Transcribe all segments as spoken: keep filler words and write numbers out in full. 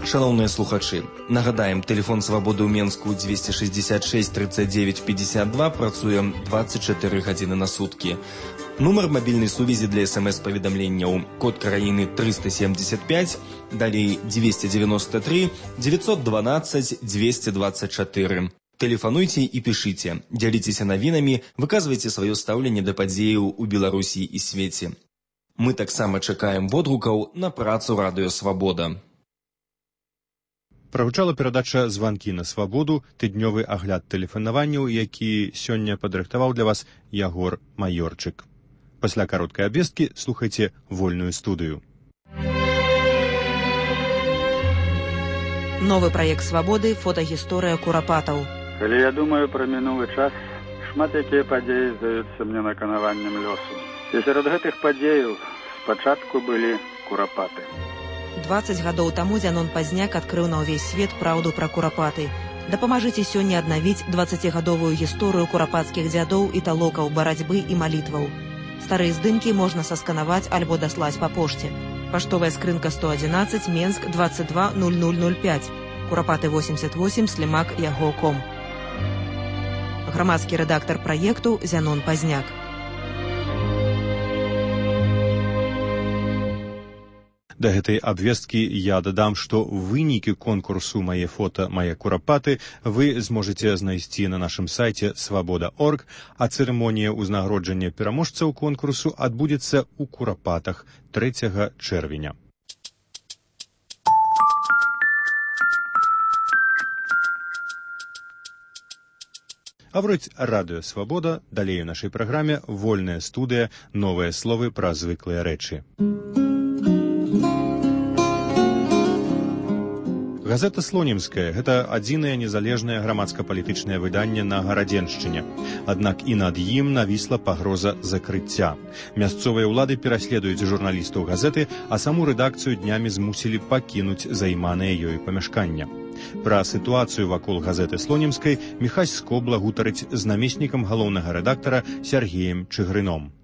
Шановные слухачи, нагадаем, телефон «Свободы» ў Менску двести шестьдесят шесть тридцать девять пятьдесят два працуе двадцать четыре гадзіны на сутки. Нумар мобильной сувязі для смс-паведамленняў, код краіны триста семьдесят пять, далей двести девяносто три девятьсот двенадцать двести двадцать четыре. Телефануйте и пишите, дзяліцеся навінамі, выказвайце сваё стаўленне да падзеяў у Беларусі і свеце. Мы таксама чакаем водгукаў на працу радыё «Свабода». Прагучала перадача «Званкі на свабоду», тыднёвы агляд тэлефанаванняў, які сёння падрыхтаваў для вас Ягор Майорчык. Пасля кароткай абвесткі слухайце вольную студыю. Новы праект «Свабоды» фотагісторыя курапатаў. Калі я думаю пра мінулы час, шмат якія падзеі здаюцца мне наканаваннем лёсу. І сярод гэтых падзеяў спачатку былі курапаты. двадцать гадоў таму Зянон Пазняк адкрыў на ўвесь свет праўду пра курапаты. Дапамажыце сёння аднавіць дваццацігадовую гісторыю курапацкіх дзядоў і талокаў, барацьбы і малітваў. Старыя здымкі можна сасканаваць альбо даслаць па пошце. Паштовая скрынка сто одиннадцать, Менск, двадцать два ноль ноль ноль пять, Курапаты восемьдесят восемь, Слімак, яго точка ком. Грамадскі рэдактар праекту Зянон Пазняк. Да гэтай абвесткі я дадам, што вынікі конкурсу «Мае фота, мае курапаты» вы зможаце знайсці на нашым сайце свабода точка орг, а цырымонія ўзнагароджання пераможцаў конкурсу адбудзецца ў Курапатах трэцяга чэрвеня. Гаворыць радыё «Свабода», далей у нашай праграме «Вольная студыя», новыя словы пра звыклыя рэчы. Газета «Слонімская» – гэта адзінае незалежнае грамадска-палітычнае выданне на Гарадзеншчыне. Аднак і над ім навісла пагроза закрыцця. Мясцовыя ўлады пераследуюць журналістаў газеты, а саму рэдакцыю днямі змусілі пакінуць займанае ёй памяшкання. Пра сітуацыю вакол газеты «Слонімскай» Міхась Скобла гутарыць з намеснікам галоўнага рэдактара Сергеем Чыгрыном.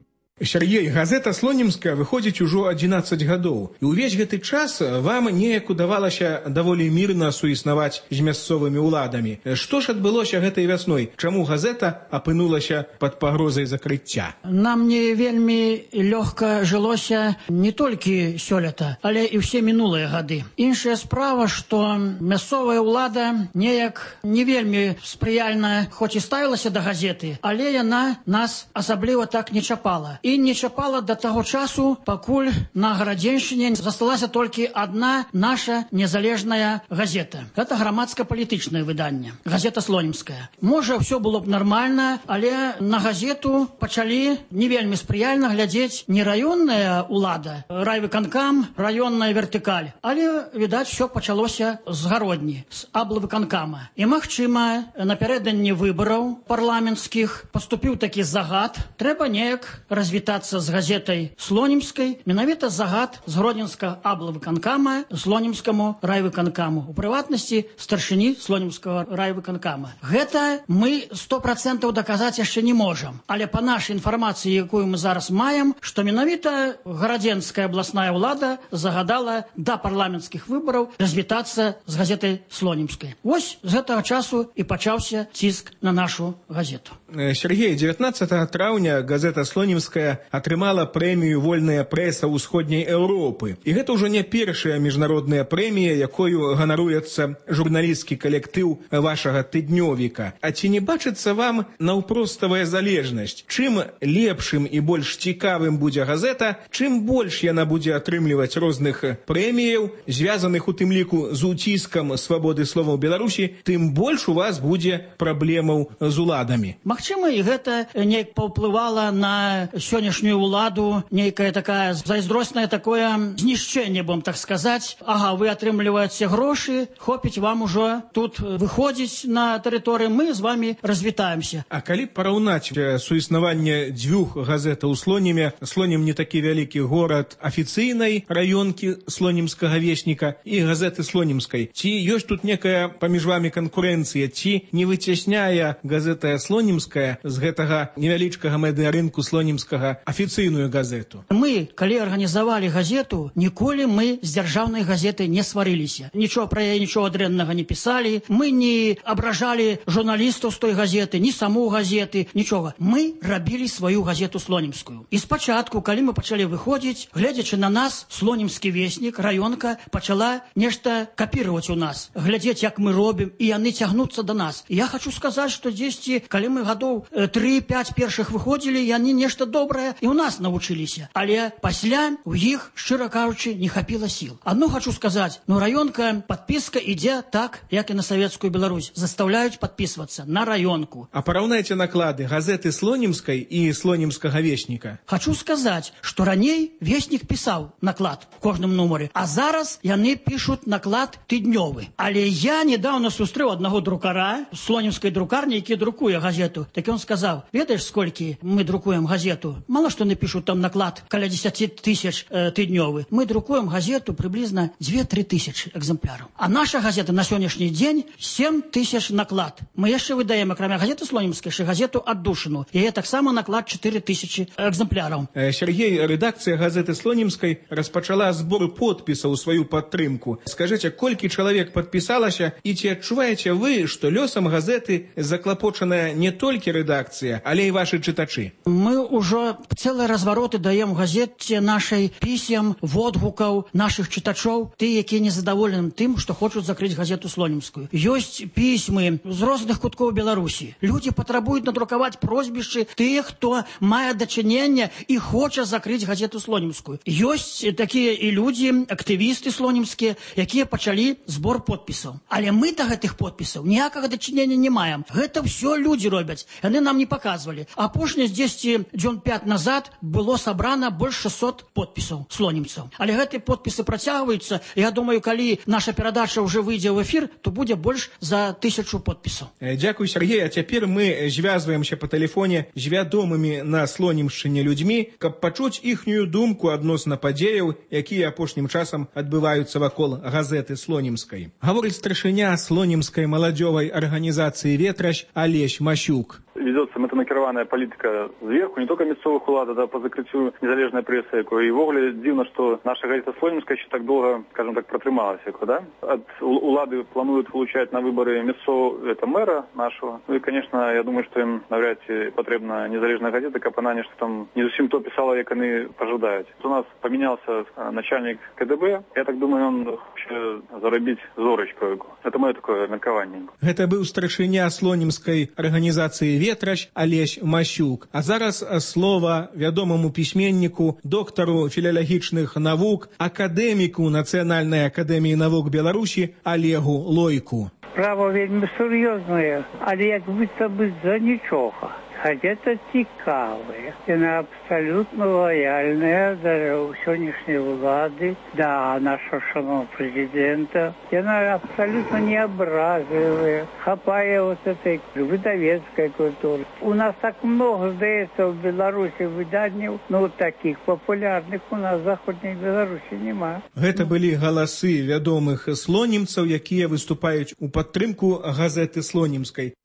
Сергей, газета «Слонімская» выходзіць ужо адзінаццаць гадоў. І ўвесь гэты час вам неяк удавалася даволі мірна суіснаваць з мясцовымі ўладамі. Што ж адбылося гэтай вясной? Чаму газета апынулася пад пагрозай закрыцця? Нам не вельмі лёгка жылося не толькі сёлета, але і ўсе мінулыя гады. Іншая справа, што мясцовая ўлада неяк не вельмі спрыяльна, хоць і ставілася да газеты, але яна нас асабліва так не чапала. І не чапала да таго часу, пакуль на Гарадзеншчыне засталася толькі адна наша незалежная газета. Гэта грамадска-палітычнае выданне. Газета «Слонімская». Можа, ўсё было б нармальна, але на газету пачалі не вельмі спрыяльна глядзець не раённая ўлада, райвыканкам, раённая вертыкаль, але, відаць, усё пачалося з гародні, з аблвыканкама. І, магчыма, напярэдадні выбараў парламенцкіх паступіў такі загад, трэба неяк развіваць вітацца з газетай «Слонімскай», менавіта загад з гродзенскага аблвыканкама Слонімскаму райвыканкаму, у прыватнасці старшыні Слонімскага райвыканкама. Гэта мы сто процентаў даказаць яшчэ не можам, але па нашай інфармацыі, якую мы зараз маем, што менавіта Гарадзенская абласная ўлада загадала да парламенцкіх выбараў развітацца з газетай «Слонімскай». Вось з гэтага часу і пачаўся ціск на нашу газету. Сергей, дзевятнаццатага траўня газета «Слонімская» атрымала прэмію «Вольная прэса ўсходняй Еўропы». І гэта ўжо не першая міжнародная прэмія, якою ганаруецца журналісцкі калектыў вашага тыднёвіка. А ці не бачыцца вам наўпроставая залежнасць? Чым лепшым і больш цікавым будзе газета, чым больш яна будзе атрымліваць розных прэміяў, звязаных у тым ліку з уціскам свабоды слова ў Беларусі, тым больш у вас будзе праблемаў з уладамі. Магчыма, і гэта неяк паўплывала на сённяшнюю ўладу, нейкая такая зайздроснае такое знішчэнне, будем так сказаць. Ага, вы атрымліваеце грошы, хопіць вам ужо тут выходзіць на тэрыторыю, мы з вами развітаемся. А калі параўнаць суіснаванне дзвюх газетаў у Слоніме, Слонім не такі вялікі горад афіцыйнай раёнкі слонімскага весніка і газеты Слонімскай, ці ёсць тут некая паміж вами канкурэнцыя, ці не выцясняе газета Слонімская з гэтага невялічкага медыарынку слонімскага ага, афіцыйную газету. Мы, калі арганізавалі газету, ніколі мы з дзяржаўнай газеты не сварыліся. Нічого пра яе, нічого дрэннага не пісалі. Мы не абражалі журналістаў з той газеты, ні саму газеты, нічога. Мы рабілі сваю газету слонімскую. І спачатку, калі мы пачалі выходзіць, глядзячы на нас, слонімскі веснік, раёнка пачала нешта капіраваць у нас, глядзець, як мы робім, і яны цягнуцца да нас. І я хочу сказаць, што дзесьці, калі мы гадоў тры-пяць першых выходзілі, яны нешта добрае і ў нас навучыліся. Але пасля у іх, шчыра кажучы, не хапіла сіл. Адно хочу сказаць, ну раёнка, падпіска ідзе так, як і на савецкую Беларусь. Заставляюць падпісвацца на раёнку. А параўнайце наклады газеты слонімскай і слонімскага весніка. Хочу сказаць, што раней веснік пісаў наклад у кожным нумары, а зараз яны пішуць наклад тыднёвы. Але я недавно сустрэў аднаго друкара з слонімскай друкарні, які друкуе газету. Так ён сказаў, ведаеш, сколькі мы друкуем газету? Мало што напішуць там наклад, каля дзесяць тысяч э, тыднёвы. Мы друкуем газету приблизно две-тры тысячи экземпляраў. А наша газета на сённяшні дзень сем тысяч наклад. Мы яшчэ выдаем, акрамя газеты слонімскай, яшчэ газету «Аддушыну». Яе таксама наклад чатыры тысячи экземпляраў. Сергей, рэдакцыя газеты слонімскай распачала збор подпісаў у сваю падтрымку. Скажыце, колькі чалавек падпісалася, і ці адчуваеце вы, што лёсам газеты заклапочаная не толькі рэдакцыя, але і вашы чытачы? Мы ўжо цэлыя развароты даем газеце нашай пісем, водгукаў нашых чытачоў, ты, якія незадаволеным тым, што хочуць закрыць газету слонімскую. Ёсць пісьмы з розных куткоў Беларусі. Людзі патрабуюць надрукаваць просьбішчы тых, хто мае дачыненне і хоча закрыць газету слонімскую. Ёсць такія і людзі, актывісты слонімскія, якія пачалі збор подпісаў. Але мы да гэтых подпісаў ніякага дачынення не маем. Гэта ўсё людзі робяць. Яны нам не паказвалі. Апошні дзесьці дзён пяць назад было сабрана больш шэсцьсот подпісаў слонімцаў. Але гэтыя подпісы працягваюцца. Я думаю, калі наша перадача ўжо выйдзе ў эфір, то будзе больш за тысячу подпісаў. Дзякуй, Сергей. А цяпер мы звязваемся па тэлефоне з вядомымі на слонімшчыне людзьмі, каб пачуць іхнюю думку адносна падзеяў, якія апошнім часам адбываюцца вакол газеты слонімскай. Гаворыць старшыня слонімскай маладзёвай арганізацыі «Ветращ» Алесь Масюк. Ведется мэтанакіраваная палітыка зверху, не только мясцовых улад, да, по закрыццю незалежнай прэсы, якой і ввогуле дзіўна, што наша газета слонімская еще так долго, скажем так, протрымалася, да? От улады плануют получать на выборы мясцов, это мэра нашего. Ну и, конечно, я думаю, что им навряд ці потребна незалежная газета, каб она нешта там не зусім то писала, як они пожадают. У нас поменялся начальник КДБ, я так думаю, он хоче заробить зорочку. Это мое такое меркаванне. Гэта быў старшыня слонімскай арганізацыі «Ветращ» Алесь Масюк. А зараз слова вядомаму пісьменніку, доктару філалагічных навук, акадэміку Нацыянальнай акадэміі навук Беларусі Олегу Лойку. Справа вельмі сур'ёзная, але як быццам бы за нічога. Газета цікавая, яна абсалютна лояльная да сённяшняй улады, да нашого шановного президента. Яна абсолютно не образливая, хапая вот этой выдавецкой культуры. У нас так много, здаецца, в Беларуси выданняў, но вот таких популярных у нас в Заходней Беларуси нема. Гэта былі галасы вядомых слонімцаў, якія выступаюць у падтрымку газеты слонімскай.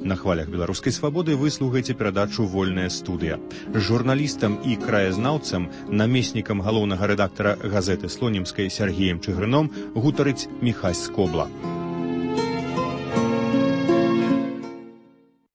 На хвалях беларускай свабоды вы слухаеце перадачу «Вольная студыя». Журналістам і краязнаўцам, намеснікам галоўнага рэдактара газеты слонімскай Сергеем Чыгрыном гутарыць Міхась Скобла.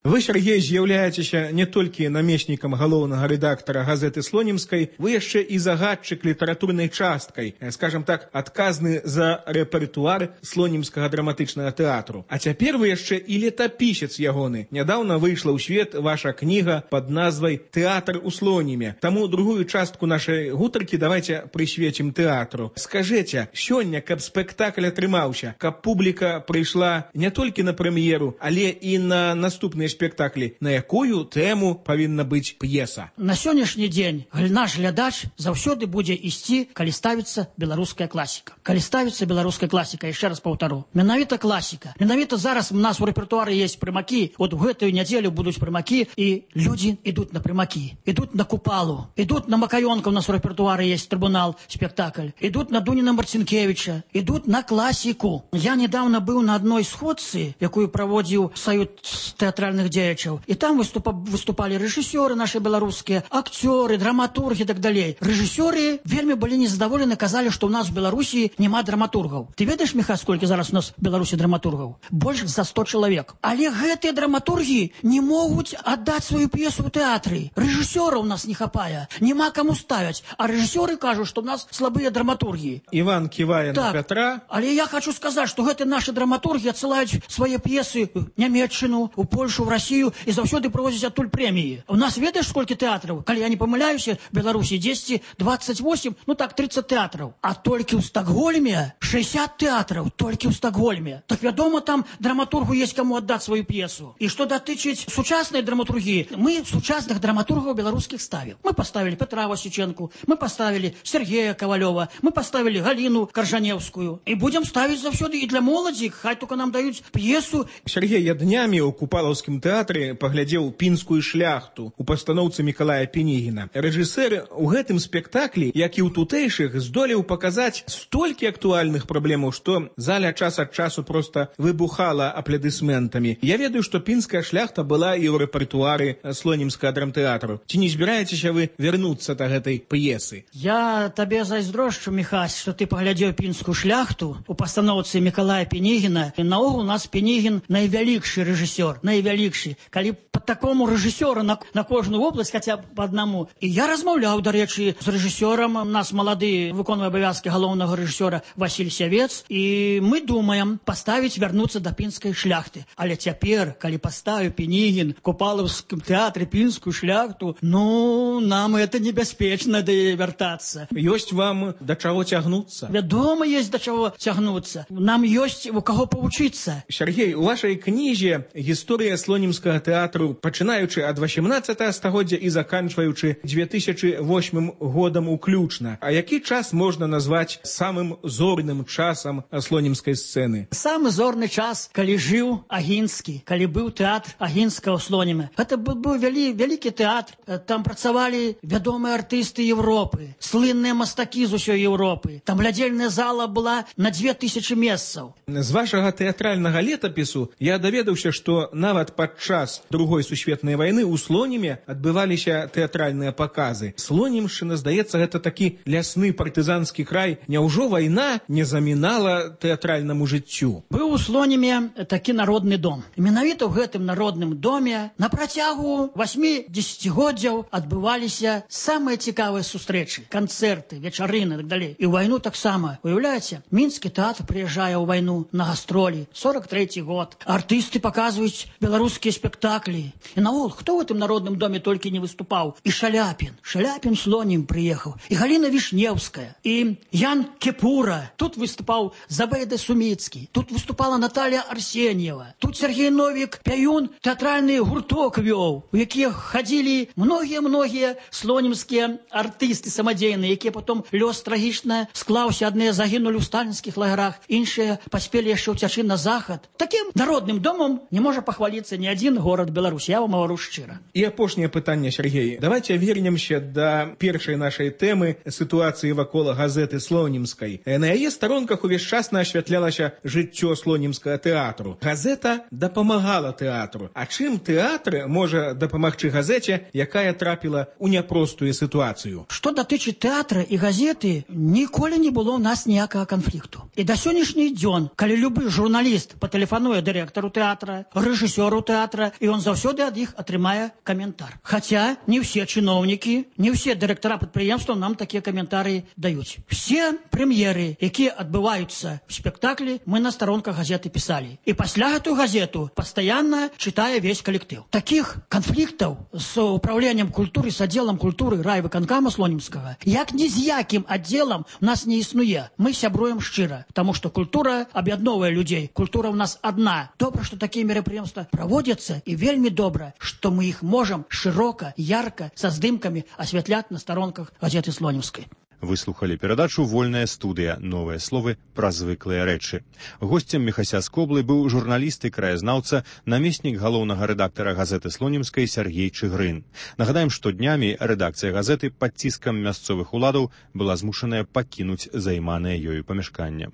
Вы, Сергей, з'яўляецеся не толькі намеснікам галоўнага рэдактара газеты слонімскай, вы яшчэ і загадчык літаратурнай часткай, скажем так, адказны за рэпертуар слонімскага драматычнага тэатру. А цяпер вы яшчэ і летапісец ягоны. Нядаўна выйшла ў свет ваша кніга пад назвай «Тэатр у слоніме». Таму другую частку нашай гутаркі давайте прысвецім тэатру. Скажыце, сёння, каб спектакль атрымаўся, каб публіка прыйшла не толькі на прэм'еру, але і на наступныя спектаклі, спектаклі, на якую тэму павінна быць п'еса? На сённяшні дзень наш глядач заўсёды будзе ісці, калі ставіцца беларуская класіка. Калі ставіцца беларуская класіка, яшчэ раз паўтару. Менавіта класіка. Менавіта зараз у нас у рэпертуары есть прымакі. Вот у гэтую нядзелю будуць прымакі, і людзі ідуць на прымакі. Ідуць на Купалу. Ідуць на Макаёнка, у нас у рэпертуары есть трибунал, спектакль. Ідуць на Дуніна Марцінкевіча. Ідуць на класіку. Я недавно быў на адной сходцы, якую праводзіў Саюд тэатральных дзеячаў. І там выступа, выступалі рэжысёры нашы беларускія, акцёры, драматургі і так далей. Рэжысёры вельмі былі незадаволены, казалі, што ў нас у Беларусі няма драматургаў. Ты ведаеш, Міха, сколькі зараз у нас в Беларусі драматургаў? Больш за сто чалавек. Але гэтыя драматургі не могуць аддаць сваю п'есу ў тэатры. Рэжысёраў у нас не хапае. Няма каму ставяць. А рэжысёры кажуць, што ў нас слабыя драматургі. Іван ківае так, на Пятра. Але я хочу сказаць, што гэтыя нашы драматургі адсылаюць свае п'есы ў Нямецчыну, у Польшу, в Расію і заўсёды прывозяць адтуль прэміі. У нас ведаеш, сколькі тэатраў? Калі я не памыляюся, в Беларусі дзесьці двадцать восемь, ну так, тридцать тэатраў. А толькі ў Стокгольме шестьдесят тэатраў, толькі ў Стокгольме. Так вядома, там драматургу есть каму аддаць сваю п'есу. І што датычыць сучаснай драматургіі, мы сучасных драматургаў беларускіх ставім. Мы поставили Петра Васіченку, мы поставили Сергея Ковалёва, мы поставили Галину Каржаневскую. І будем ставіць заўсёды і для моладзі, хай только нам даюць п'есу. Сергей, я днямі ў Купалаўскім тэатры паглядзеў пінскую шляхту у пастаноўцы Мікалая Пенігіна. Рэжысэр у гэтым спектаклі, як і ў тутэйшых, здолеў паказаць столькі актуальных праблемаў, што заля час ад часу проста выбухала апладысментамі. Я ведаю, што пінская шляхта была і ў рэпертуары слонімскага драмтэатру. Ці не збіраецеся вы вярнуцца да гэтай п'есы? Я табе зайздрошчу, Міхась, што ты паглядзеў пінскую шляхту у пастаноўцы Мікалая Пенігіна. І наогул у нас Пенігін найвялікшы рэжысёр, найвялікшы. Калі па такому рэжысёру на, на кожную вобласць, хаця б па аднаму. І я размаўляў, дарэчы, з рэжысёрам. У нас малады выконвае абавязкі галоўнага рэжысёра Васіль Сявец. І мы думаем паставіць, вярнуцца да пінскай шляхты. Але цяпер, калі паставіў Пенігін в Купалаўскім тэатры пінскую шляхту, ну, нам это небяспечна да вяртацца. Ёсць вам да чаго цягнуцца? Вядома, есть да чаго цягнуцца. Нам ёсць у каго павучыцца. Сергей, у вашай кнізе гісторыя слонімскага тэатру, пачынаючы ад васемнаццатага стагоддзя і заканчваючы две тысячи восьмым годам уключна. А які час можна назваць самым зорным часам слонімскай сцэны? Самы зорны час, калі жыў Агінскі, калі быў тэатр Агінскага ў Слоніме. Гэта быў вялі, вялікі тэатр. Там працавалі вядомыя артысты Европы, слынныя мастакі з усёй Европы. Там глядзельная зала была на две тысячи месцаў. З вашага тэатральнага летапісу я даведаўся, што нават падчас другой сусветнай вайны ў Слоніме адбываліся тэатральныя паказы. Слонімшчына, здаецца, гэта такі лясны партызанскі край. Няўжо вайна не замінала тэатральнаму жыццю? Быў у Слоніме такі народны дом. Менавіта ў гэтым народным доме на працягу восьмі дзесяцігоддзяў адбываліся самыя цікавыя сустрэчы, канцэрты, вечарыны і так далей. І ў вайну таксама. Уяўляеце, мінскі тэатр прыязджае ў вайну на гастролі. сорок трэці год. Артысты паказваюць беларускія спектаклі. І наогул, хто ў гэтым народным доме толькі не выступаў? І Шаляпін. Шаляпін Слонім прыехаў. І Галіна Вішнеўская. І Ян Кепура. Тут выступаў Забайда Суміцкі. Тут выступала Наталья Арсеньева. Тут Сергей Новік Пяюн тэатральны гурток вёў, у якія хадзілі многія-многія слонімскія артысты самадзейныя, якія потом лёс трагічна склаўся. Адныя загінулі ў сталінскіх лагерах, іншыя паспелі яшчэ ўцячы на захад. Такім народным домом не можа пахваліцца ні адзін горад Беларусі. Я вам гавару шчыра. І апошняе пытанне, Сергей. Давайте вернемся да першай нашай тэмы сітуацыі вакол газеты Слонімскай. На яе старонках увесь час асвятлялася жыццё слонімскага тэатру. Газета дапамагала тэатру. А чым тэатр можа дапамагчы газеце, якая трапіла ў няпростую сітуацыю? Што датычыць тэатра і газеты, ніколі не было ў нас ніякага канфлікту. І да сённяшні дзён, калі любы журналіст патэлефануе дырэктару тэатра, рэжысёру тэатра, і ён заўсёды ад іх атрымае каментар. Хаця не ўсе чыноўнікі, не ўсе дырэктара прадпрыемстваў нам такія каментары даюць. Все прэм'еры, якія адбываюцца в спектаклі, мы на старонках газеты пісалі. І пасля гэтую газету пастаянна чытае весь калектыў. Такіх канфліктаў з управленнем культуры, з аддзелам культуры райвыканкама Слонімскага, як ні з якім аддзелам у нас не існуе. Мы сябруем шчыра, таму што культура аб'ядноўвае людзей. Культура ў нас адна. Добра, што такія мерапрыемствы праводзяцца. находятся, и вельми добра, что мы их можем широко, ярко, со здымками осветлять на сторонках газеты Слонімскай. Выслухали перадачу «Вольная студыя. Новыя словы пра звыклыя рэчы». Госцем Міхася з Коблы быў журналіст і краязнаўца, намеснік галоўнага рэдактара газеты Слонімскай Сяргей Чыгрын. Нагадаем, што днямі рэдакцыя газеты пад ціскам мясцовых уладаў была змушаная пакінуць займанае ёю памяшканне.